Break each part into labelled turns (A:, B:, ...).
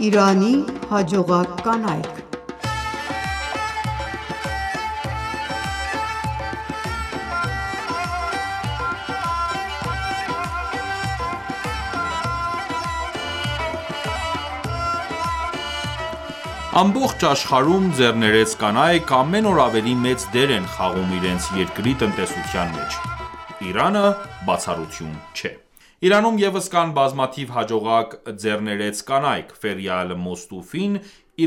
A: Իրանի հաջողակ կանայք։
B: Ամբողջ աշխարհում ձեռներեց կանայք ամեն օր ավելի մեծ դեր են խաղում իրենց երկրի տնտեսության մեջ: Իրանը բացառություն չէ: Իրանում ևս կան բազմաթիվ հաջողակ ձեռներեց կանայք: Ֆերյալ Մոստուֆին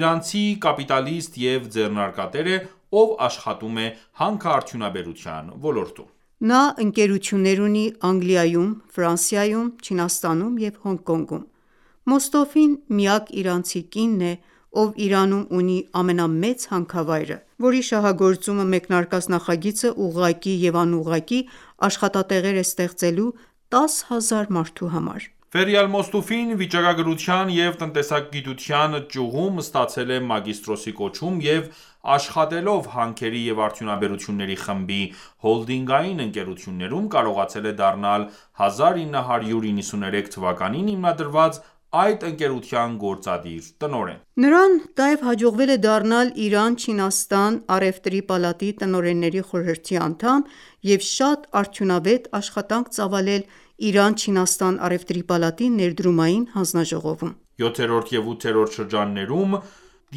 B: իրանցի կապիտալիստ և ձեռնարկատեր է, ով աշխատում է հանքարդյունաբերության ոլորտում:
A: Նա ընկերություններ ունի Անգլիայում, Ֆրանսիայում, Չինաստանում և Հոնկոնգում: Մոստոֆին միակ իրանցի կինն է, ով Իրանում ունի ամենամեծ հանքավայրը, որի շահագործումը մեկնարկած նախագիծը ուղղակի և անուղղակի աշխատատեղեր է ստեղծելու 10,000 մարդու համար:
B: Ֆերյալ Մոստուֆին վիճակագրության և տնտեսագիտության ճյուղում ստացել է մագիստրոսի կոչում և աշխատելով հանքերի և արդյունաբերությունների խմբի հոլդինգային ընկերություններում, կարողացել է դառնալ 1993 թվականին հիմնադրված այդ ընկերության գործադիր տնօրեն:
A: Նրան նաև հաջողվել է դառնալ Իրան-Չինաստան առևտրի պալատի տնօրենների խորհրդի անդամ և շատ արդյունավետ աշխատանք ծավալել Իրան-Չինաստան առևտրի պալատի ներդրումային հանձնաժողովում:
B: 7-րդ և 8-րդ շրջաններում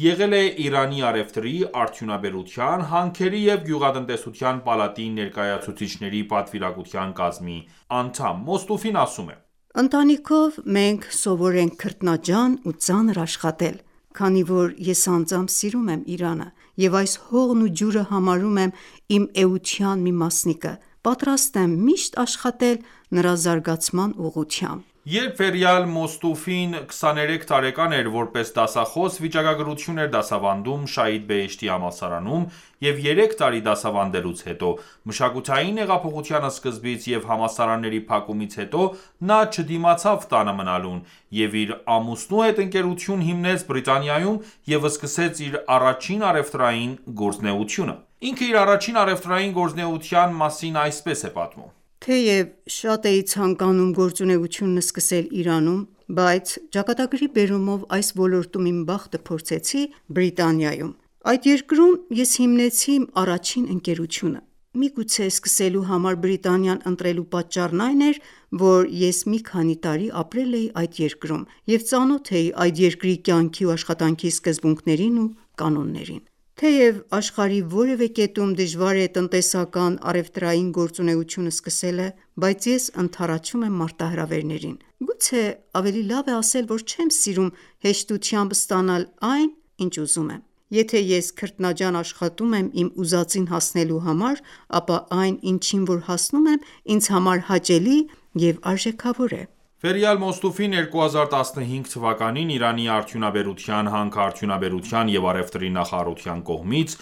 B: եղել է Իրանի առևտրի, արդյունաբերության, հանքերի և գյուղատնտեսության պալատի ներկայացուցիչների պատվիրակության կազմի անդամ: Մոստուֆին ասում է.
A: «Ընտանիքով մենք սովոր ենք քրտնաջան ու ծանր աշխատել: Քանի որ ես անձամբ սիրում եմ Իրանը և այս հողն ու ջուրը համարում եմ իմ էության մի մասնիկը, պատրաստ եմ միշտ աշխատել նրա զարգացման ուղղությամբ»:
B: Երբ Ֆերյալ Մոստուֆին 23 տարեկան էր, որպես դասախոս վիճակագրություն էր դասավանդում Շահիդ Բեհեշթի համալսարանում և 3 տարի դասավանդելուց հետո, մշակութային հեղափոխության սկզբից և համալսարանների փակումից հետո նա չդիմացավ տանը մնալուն և իր ամուսնու հետ ընկերություն հիմնեց Բրիտանիայում և սկսեց իր առաջին առևտրային գործունեությունը: Ինքը իր առաջին առևտրային գործունեության մասին այսպես է պատմում.
A: «Թեև շատ էի ցանկանում գործունեությունն սկսել Իրանում, բայց ճակատագրի բերումով այս ոլորտում իմ բախտը փորձեցի Բրիտանիայում: Այդ երկրում ես հիմնեցի իմ առաջին ընկերությունը: Միգուցե սկսելու համար Բրիտանիան ընտրելու պատճառն այն էր, որ ես մի քանի տարի ապրել էի այդ երկրում և ծանոթ էի այդ երկրի կյանքի ու աշխատանքի սկզբունքներին ու կանոններին: Թեև աշխարհի որևէ կետում դժվար է տնտեսական առևտրային գործունեություն սկսելը, բայց ես ընդառաջում եմ մարտահրավերներին: Գուցե ավելի լավ է ասել, որ չեմ սիրում հեշտությամբ ստանալ այն, ինչ ուզում եմ: Եթե ես քրտնաջան աշխատում եմ իմ ուզածին հասնելու համար, ապա այն, ինչին որ հասնում եմ, ինձ համար հաճելի և արժեքավոր է»:
B: Ֆերյալ Մոստուֆին 2015 թվականին Իրանի արդյունաբերության, հանքարդյունաբերության և առևտրի նախարարության կողմից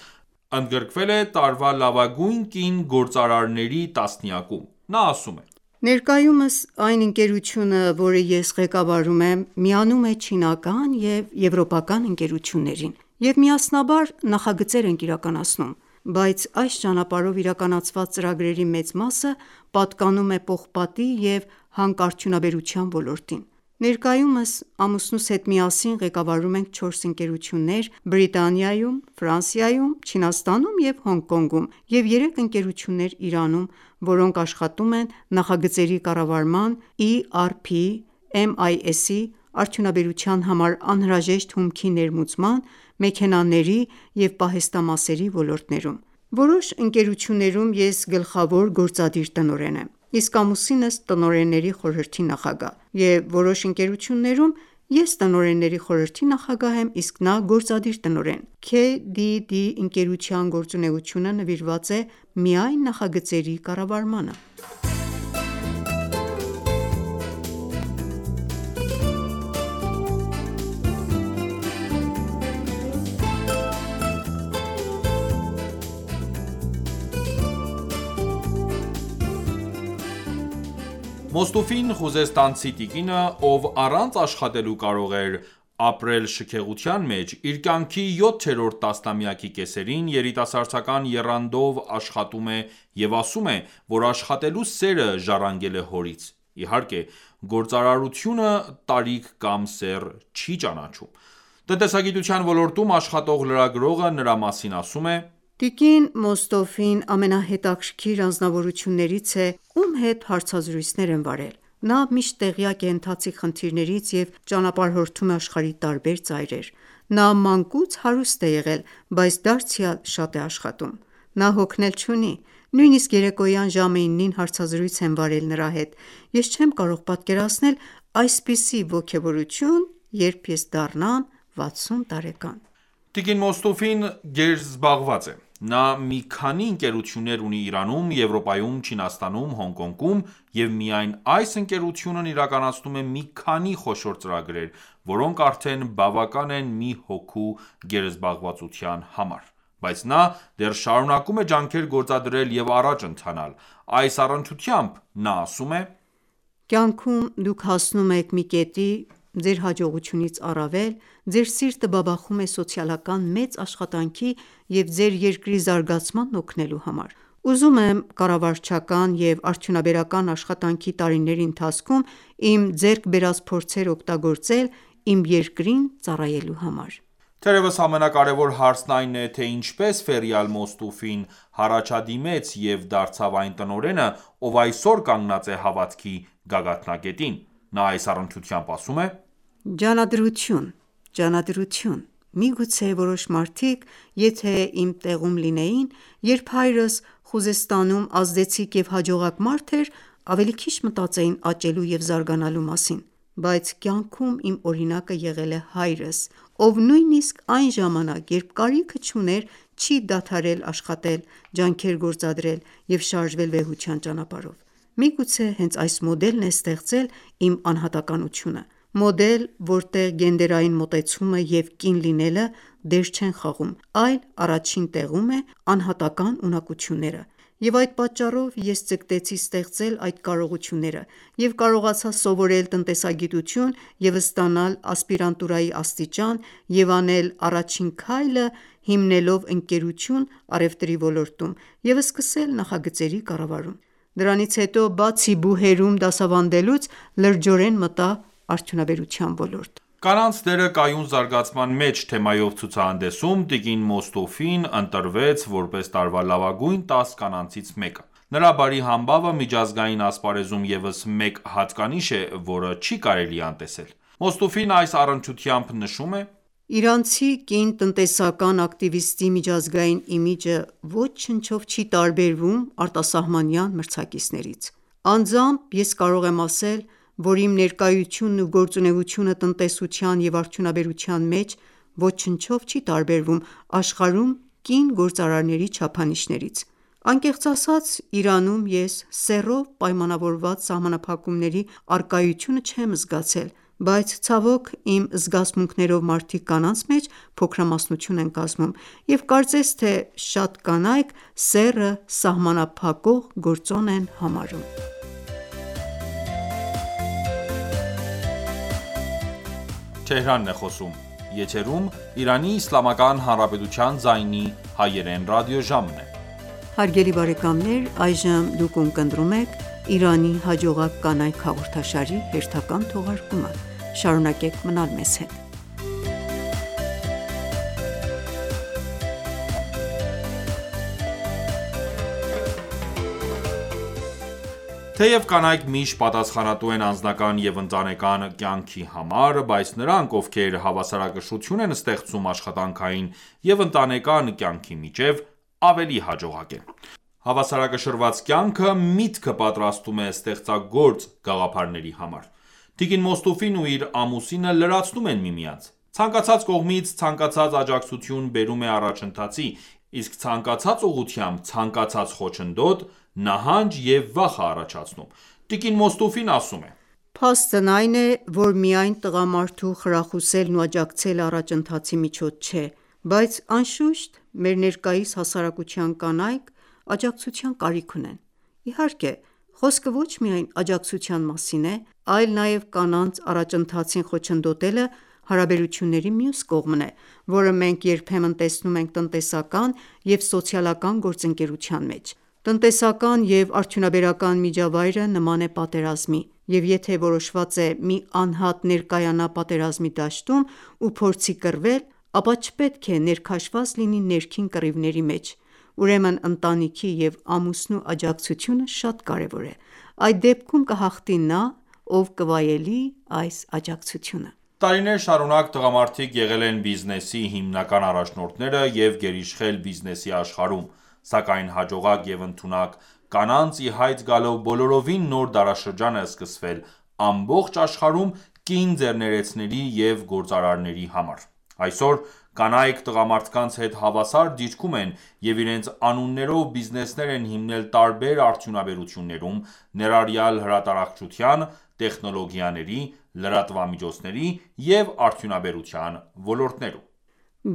B: ընդգրկվել է տարվա լավագույն կին գործարարների տասնյակում: Նա ասում է.
A: «Ներկայումս այն ընկերությունը, որը ես ղեկավարում եմ, միանում է չինական և եվրոպական ընկերություններին և միասնաբար նախագծեր ենք իրականացնում: Բայց այս ճանապարհով իրականացված ծրագրերի մեծ մասը պատկանում է պողպատի և հանքարդյունաբերության ոլորտին: Ներկայումս ամուսնուս հետ միասին ղեկավարում ենք 4 ընկերություններ Բրիտանիայում, Ֆրանսիայում, Չինաստանում և Հոնկոնգում և 3 ընկերություններ Իրանում, որոնք աշխատում են նախագծերի կառավարման, ERP, MIS-ի, արդյունաբերության համար անհրաժեշտ հումքի ներմուծման, մեքենաների և պահեստամասերի ոլորտներում: Որոշ ընկերություններում ես գլխավոր գործադիր տնօրեն եմ, իսկ ամուսինս տնօրենների խորհրդի նախագահ և որոշ ընկերություններում ես տնօրենների խորհրդի նախագահ եմ, իսկ նա գործադիր տնօրեն: KDD ընկերության գործունեությունը նվիրված է միայն նախագծերի կառավարմանը»:
B: Մոստուֆին խուզեստանցի տիկինը, ով առանց աշխատելու կարող էր ապրել շքեղության մեջ, իր կյանքի 7-րդ տասնամյակի կեսերին երիտասարդական եռանդով աշխատում է և ասում է, որ աշխատելու սերը ժառանգել է հորից: Իհարկե, գործարարությունը տարիք կամ սեռ չի ճանաչում։ Տնտեսագիտության ոլորտում աշխատող լրագրողը նրա մասին ասում է.
A: Տիկին Մոստոֆին ամենահետաքրքիր անձնավորություններից է, ում հետ հարցազրույցներ եմ վարել։ Նա միշտ տեղյակ է ընթացիկ խնդիրներից և ճանապարհորդում է աշխարհի տարբեր ծայրեր։ Նա մանկուց հարուստ է եղել, բայց դարձյալ շատ է աշխատում։ Նա հոգնել չունի։ Նույնիսկ երեկոյան ժամը 9-ին հարցազրույց եմ վարել նրա հետ։ Ես չեմ կարող պատկերացնել այսպիսի ոգևորություն, երբ ես դառնամ 60 տարեկան։
B: Տիկին Մոստոֆին գերզբաղված է։ Նա մի քանի ընկերություններ ունի Իրանում, Եվրոպայում, Չինաստանում, Հոնկոնգում և միայն այս ընկերությունն իրականացնում է մի քանի խոշոր ծրագրեր, որոնք արդեն բավական են մի հոգու գերզբաղվածության համար։ Բայց նա դեռ շարունակում է ջանքեր գործադրել և առաջ ընթանալ։ Այս առնչությամբ նա ասում է.
A: Կյանքում դուք հասնում եք մի կետի, ձեր հաջողությունից առավել, ձեր սիրտը բաբախում է սոցիալական մեծ աշխատանքի և ձեր երկրի զարգացմանն օգնելու համար։ Ուզում եմ կառավարչական և արդյունաբերական աշխատանքի տարիների ընթացքում իմ ձեռք բերած փորձերը օգտագործել իմ երկրին ծառայելու համար։
B: Թերևս ամենակարևոր հարցն այն է, թե ինչպես Ֆերյալ Մոստոֆին առաջադիմեց և դարձավ այն տնօրենը, ով այսօր կանգնած է հավատքի գագաթնակետին։ Նա այս առնչությամբ ասում է.
A: Ջանադրություն, ջանադրություն։ Միգուցե որոշ մարդիկ, եթե իմ տեղում լինեին, երբ հայրս Խուզեստանում ազդեցիկ և հաջողակ մարդ էր, ավելի քիչ մտածեին աճելու և զարգանալու մասին։ Բայց կյանքում իմ օրինակը եղել է հայրս, ով նույնիսկ այն ժամանակ, երբ կարիքը չուներ, չի դադարել աշխատել, ջանքեր գործադրել և շարժվել վեհության ճանապարհով։ Միգուցե հենց այս մոդելն է ստեղծել իմ անհատականությունը։ Մոդել, որտեղ գենդերային մոտեցումը և կին լինելը դեր չեն խաղում, այլ առաջին տեղում է անհատական ունակությունները։ Եվ այդ պատճառով ես ձգտեցի ստեղծել այդ կարողությունները և կարողացա սովորել տնտեսագիտություն և ստանալ ասպիրանտուրայի աստիճան և անել առաջին քայլը հիմնելով ընկերություն առևտրի ոլորտում և սկսել նախագծերի կառավարում։ Դրանից հետո, բացի բուհերում դասավանդելուց, լրջորեն մտա արդյունաբերության ոլորտ։
B: Կանանց դերը կայուն զարգացման մեջ թեմայով ցուցահանդեսում տիկին Մոստոֆին ընտրվեց որպես տարվա լավագույն 10 կանանցից մեկը։ Նրա բարի համբավը միջազգային ասպարեզում ևս մեկ հատկանիշ է, որը չի կարելի անտեսել։ Մոստոֆին այս առնչությամբ նշում է.
A: Իրանցի կին տնտեսական ակտիվիստի միջազգային իմիջը ոչնչով չի տարբերվում արտասահմանյան մրցակիցներից։ Անձամբ ես կարող եմ ասել, որ իմ ներկայությունն ու գործունեությունը տնտեսության և արդյունաբերության մեջ ոչնչով չի տարբերվում աշխարհում կին գործարարների չափանիշներից։ Անկեղծ ասած, Իրանում ես սեռով պայմանավորված սահմանափակումների առկայությունը չեմ զգացել, բայց ցավոք իմ զգացմունքներով մարդիկ կանանց մեջ փոքրամասնություն են կազմում, և կարծես թե շատ կանայք սեռը սահմանափակող գործոն են համարում։
B: Թեև կանայք միշտ պատասխանատու են անձնական և ընտանեկան կյանքի համար, բայց նրանք, ովքեր հավասարակշռություն են ստեղծում աշխատանքային և ընտանեկան կյանքի միջև, ավելի հաջողակ են։ Հավասարակշռված կյանքը միտքը պատրաստում է ստեղծագործ գաղափարների համար։ Տիկին Մոստոֆին ու իր ամուսինը լրացնում են միմյանց։ Ցանկացած կողմից ցանկացած աջակցություն բերում է առաջընթացի, իսկ ցանկացած ուղղությամբ ցանկացած խոչընդոտ նահանջ և վախ է առաջացնում։ Տիկին Մոստոֆին ասում է.
A: Փաստն այն է, որ միայն տղամարդու խրախուսելն ու աջակցելը առաջընթացի միջոց չէ, բայց անշուշտ մեր ներկայիս հասարակության կանայք աջակցության կարիք ունեն։ Իհարկե, խոսքը ոչ միայն աջակցության մասին է, այլ նաև կանանց առաջընթացին խոչընդոտելը հարաբերությունների մյուս կողմն է, որը մենք երբեմն տեսնում ենք տնտեսական և սոցիալական գործընկերության մեջ։ Տնտեսական և արդյունաբերական միջավայրը նման է պատերազմի, և եթե որոշված է մի անհատ ներկայանա պատերազմի դաշտում ու փորձի կռվել, ապա չպետք է ներքաշված լինի ներքին կռիվների մեջ: Ուրեմն ընտանիքի և ամուսնու աջակցությունը շատ կարևոր է: Այդ դեպքում կհաղթի նա, ով կվայելի այս աջակցությունը:
B: Տարիներ շարունակ տղամարդիկ եղել են բիզնեսի հիմնական առաջնորդները և գերիշխել բիզնեսի աշխարհում, սակայն հաջողակ և ընդունակ կանանց ի հայտ գալով բոլորովին նոր դարաշրջան է սկսվել ամբողջ աշխարհում կին ձեռներեցների և գործարարների համար: Այսօր կանայք տղամարդկանց հետ հավասար դիրքում են և իրենց անուններով բիզնեսներ են հիմնել տարբեր արդյունաբերություններում, ներառյալ հրատարակչության, տեխնոլոգիաների, լրատվամիջոցների և արդյունաբերության ոլորտներում: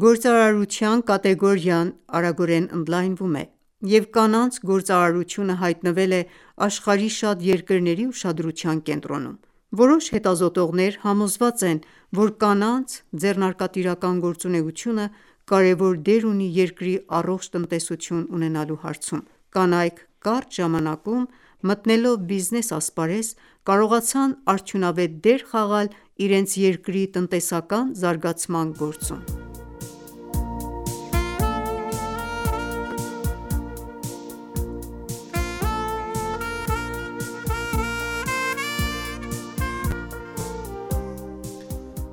A: Գործարարության կատեգորիան արագորեն ընդլայնվում է, և կանանց գործարարությունը հայտնվել է աշխարհի շատ երկրների ուշադրության կենտրոնում: Որոշ հետազոտողներ համոզված են, որ կանանց ձեռնարկատիրական գործունեությունը կարևոր դեր ունի երկրի առողջ տնտեսություն ունենալու հարցում: Կանայք կարճ ժամանակում մտնելով բիզնես ասպարեզ, կարողացան արդյունավետ դեր խաղալ իրենց երկրի տնտեսական զարգացման գործում: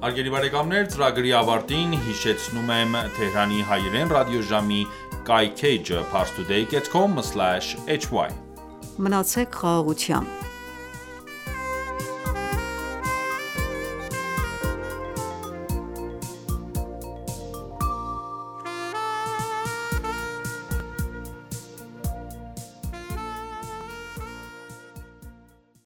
B: Ծրագրի ավարտին հիշեցնում եմ Թեհրանի հայրեն ռադիոժամի կայքէջը parstoday.com/hy:
A: Մնացեք խաղաղությամբ: